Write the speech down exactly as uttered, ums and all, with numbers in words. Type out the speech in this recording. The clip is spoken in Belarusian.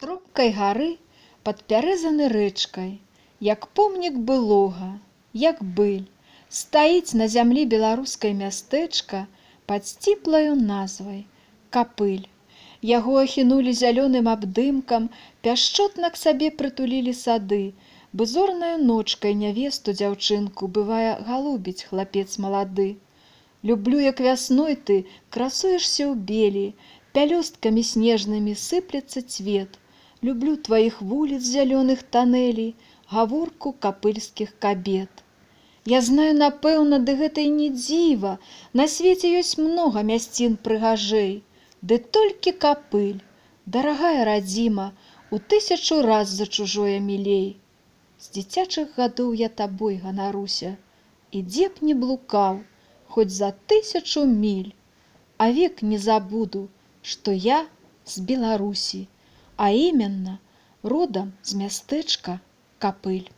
Тропкай гары падпярэзаны рэчкай, як помнік былога, як быль, стаіць на зямлі беларускай мястэчка пад сціплаю назвай Капыль. Яго ахінулі зялёным абдымкам, пяшчотна к сабе прытулілі сады, бы зорнаю ночкай нявесту дзяўчынку бывае галубіць хлапец малады. Люблю, як вясной ты красуешся ў белі, пялёсткамі снежнымі сыплецца цвет. Люблю тваіх вуліц зялёных танэлей, гаворку капыльскіх кабет. Я знаю, напэўна, ды гэта і не дзіва, на свеце ёсць многа мясцін прыгажэй, ды толькі Капыль, дарагая радзіма, у тысячу раз за чужое мілей. З дзіцячых гадоў я табой ганаруся, і дзе б не блукаў, хоць за тысячу міль, а век не забуду, што я з Беларусі, а іменна родам з мястэчка Капыль.